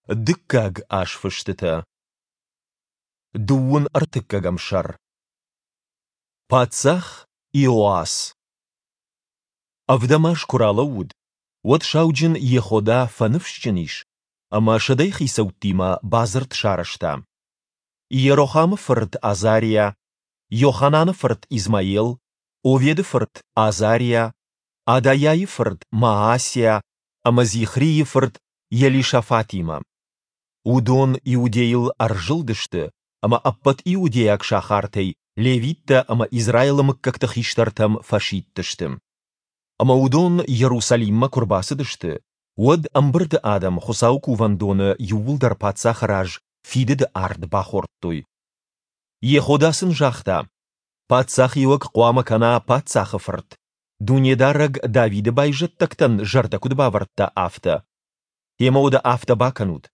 Дыккаг азфыстытӕ. Дыууын ӕртыккӕгӕм сӕр. Паддзах Иоас. Ӕвдӕм аз куы ралӕууыд, уӕд сауджын Йехода фӕныфсджын ис ӕмӕ сӕдӕйыхицӕуттимӕ бадзырд сарӕзта. Иерохамы фырт Азариа, Йохананы фырт Измаел, Оведы фырт Азариа, Адайӕйы фырт Маасиа ӕмӕ Зихрийы фырт Елишафатимӕ. Уыдон Иудейыл ӕрзылдысты ӕмӕ ӕппӕт иудейаг сахартӕй левиттӕ ӕмӕ Израилы мыггӕгты хистӕртӕм фӕсидтысты. Ӕмӕ уыдон Иерусалиммӕ куы рбацыдысты, уӕд ӕмбырды адӕм Хуыцауы кувӕндоны иууылдӕр паддзахы раз фидыды ард бахордтой. Йехода сын загъта, Паддзахиуӕг хъуамӕ кӕна паддзахы фырт, Дунедарӕг Давиды байзӕддӕгтӕн зӕрдӕ куыд бавӕрдта, афтӕ. Гъемӕ уӕдӕ афтӕ бакӕнут.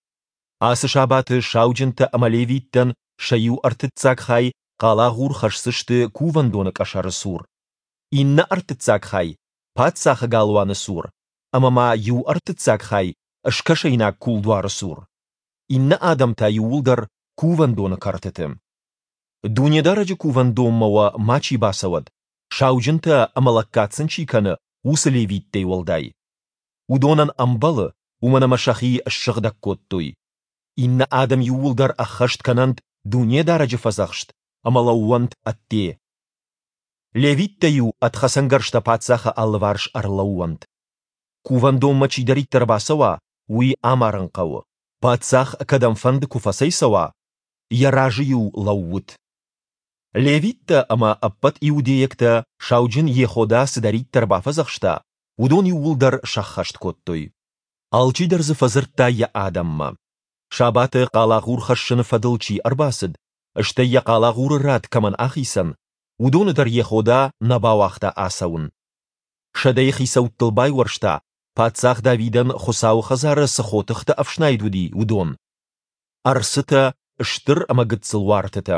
Ацы сабаты сауджынтӕ ӕмӕ левиттӕн сӕ иу ӕртыццаг хай хъалагъур хӕсдзысты кувӕндоны къӕсӕры цур, иннӕ ӕртыццаг хай паддзахы галуаны цур ӕмӕ ма иу ӕртыццаг хай скӕсӕйнаг кулдуары цур. Иннӕ адӕм та иууылдӕр кувӕндоны кӕртыты. Дунедарӕджы кувӕндонмӕ уӕ мачи бацӕуӕд, сауджынтӕ ӕмӕ лӕггад сын чи кӕны, уыцы левиттӕй уӕлдай. Уыдонӕн ӕмбӕлы, уымӕн ӕмӕ сӕхи ссыгъдӕг кодтой. Иннӕ адӕм иууылдӕр ӕххӕст кӕнӕнт Дунедарӕджы фӕдзӕхст ӕмӕ лӕууӕнт ӕдде. Левиттӕ-иу ӕд хӕцӕнгӕрзтӕ паддзахы алыварс ӕрлӕууӕнт. Кувӕндонмӕ чидӕриддӕр бацӕуа, уый амарын хъӕуы. Паддзах кӕдӕмфӕнды куы фӕцӕйцӕуа, йӕ разы-иу лӕуут. Левиттӕ ӕмӕ ӕппӕт иудейӕгтӕ сауджын Йехода цыдӕриддӕр бафӕдзӕхста, уыдон иууылдӕр сӕххӕст кодтой. Алчидӕр дзы фӕдзырдта йӕ адӕммӕ. Сабаты хъалагъур хӕссыны фӕдыл чи ӕрбацыд, стӕй йӕ хъалагъуры рад кӕмӕн ахицӕн, уыдоны дӕр Йехода нӕ бауагъта ацӕуын. Сӕдӕйы хицӕуттыл байуӕрста, паддзах Давидӕн Хуыцауы хӕдзары цы хотыхтӕ ӕфснайд уыди, уыдон. Ӕрцытӕ, стыр ӕмӕ гыццыл уартытӕ.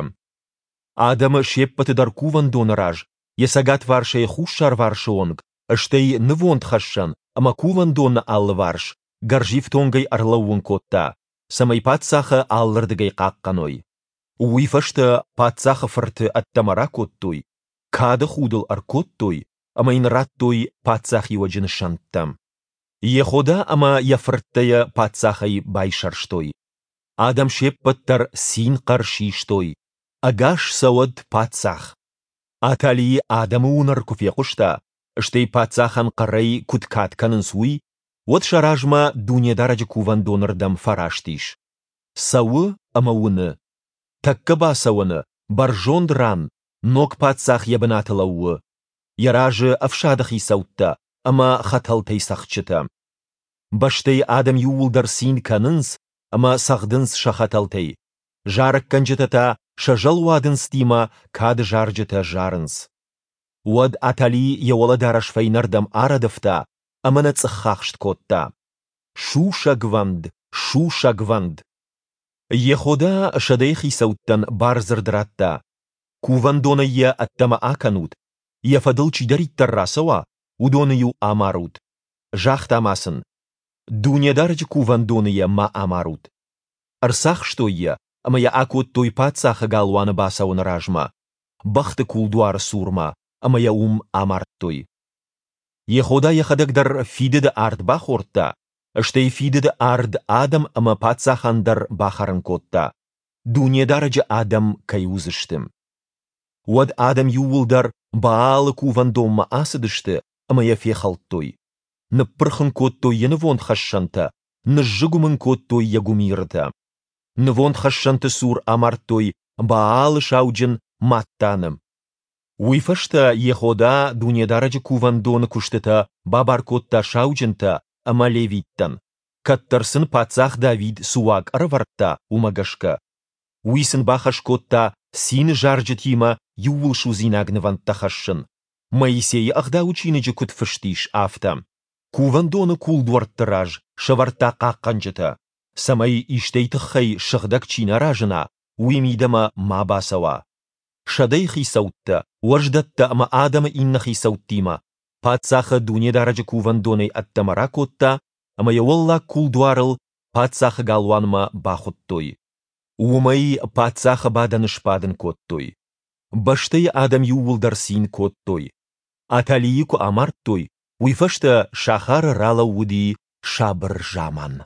Адӕмы се ппӕты дӕр кувӕндоны раз, йӕ цӕгатварсӕй хуссарварсы онг, стӕй нывондхӕссӕн ӕмӕ кувӕндоны алыварс гӕрзифтонгӕй ӕрлӕууын кодта, цӕмӕй паддзахы алырдыгӕй хъахъхъӕной. Уый фӕстӕ паддзахы фырты ӕддӕмӕ ракодтой, кады худ ыл ӕркодтой ӕмӕ йын радтой паддзахиуӕджы нысӕнттӕ. Йехода ӕмӕ йӕ фырттӕ йӕ паддзахӕй байсӕрстой. Адӕм се ппӕт дӕр цин-хъӕр систой, Ӕгас цӕуӕд паддзах! Атали адӕмы уынӕр куы фехъуыста, стӕй паддзахӕн хъӕрӕй куыд кад кӕнынц, уый, уӕд сӕ размӕ Дунедарӕджы кувӕндоны рдӕм фӕраст ис. Цӕуы ӕмӕ уыны, тӕккӕ бацӕуӕны, бӕрзонд ран, ног паддзах йӕ бынаты лӕууы, йӕ разы ӕфсады хицӕуттӕ ӕмӕ хӕтӕлтӕй цӕгъдджытӕ. Бӕстӕйы адӕм иууылдӕр цин кӕнынц ӕмӕ цӕгъдынц сӕ хӕтӕлтӕй, зарӕггӕнджытӕ та сӕ зӕлуадындзтимӕ кады зарджытӕ зарынц. Уӕд Атали йӕ уӕлӕдарӕс фӕйнӕрдӕм арӕдывта ӕмӕ нӕ цъыххахст кодта. Сусӕгвӕнд, сусӕгвӕнд! Йехода сӕдӕйы хицӕуттӕн бардзырд радта, Кувӕндонӕй йӕ ӕддӕмӕ акӕнут, йӕ фӕдыл чидӕриддӕр рацӕуа, уыдоны-иу амарут. Загъта ма сын, Дунедарӕджы кувӕндоны йӕ ма амарут. Ӕрцахстой йӕ ӕмӕ йӕ акодтой паддзахы галуаны бацӕуӕны размӕ, бӕхты кулдуары цурмӕ, ӕмӕ йӕ уым амардтой. Йехода йӕхӕдӕг дӕр фидыды ард бахордта, стӕй фидыды ард адӕм ӕмӕ паддзахӕн дӕр бахӕрын кодта, Дунедарӕджы адӕм кӕй уыдзысты. Уӕд адӕм иууылдӕр Баалы кувӕндонмӕ ацыдысты ӕмӕ йӕ фехӕлдтой. Ныппырх ын кодтой йӕ нывондхӕссӕнтӕ, ныззыгуым ын кодтой йӕ гуымирытӕ. Нывондхӕссӕнты цур амардтой Баалы сауджын Маттаны. Уый фӕстӕ Йехода Дунедарӕджы кувӕндоны куыстытӕ бабар кодта сауджынтӕ ӕмӕ левиттӕн, кӕддӕр сын паддзах Давид цы уаг ӕрӕвӕрдта, уымӕ гӕсгӕ. Уый сын бахӕс кодта цины зарджытимӕ иууылсудзинаг нывӕндтӕ хӕссын, Моисейы Ӕгъдауы чиныджы куыд фыст ис, афтӕ. Кувӕндоны кулдуӕртты раз сӕвӕрдта хъахъхъӕнджытӕ, цӕмӕй истӕй тыххӕй сыгъдӕг чи нӕ разына, уый мидӕмӕ ма бацӕуа. Сӕдӕйы хицӕуттӕ, уӕздӕттӕ ӕмӕ адӕмы иннӕ хицӕуттимӕ паддзахы Дунедарӕджы кувӕндонӕй ӕддӕмӕ ракодта ӕмӕ йӕ уӕллаг кулдуарыл паддзахы галуанмӕ бахуыдтой. Уым ӕй паддзахы бадӕны сбадын кодтой. Бӕстӕйы адӕм иууылдӕр цин кодтой. Аталийы куы амардтой, уый фӕстӕ сахары ралӕууыди сабыр заман.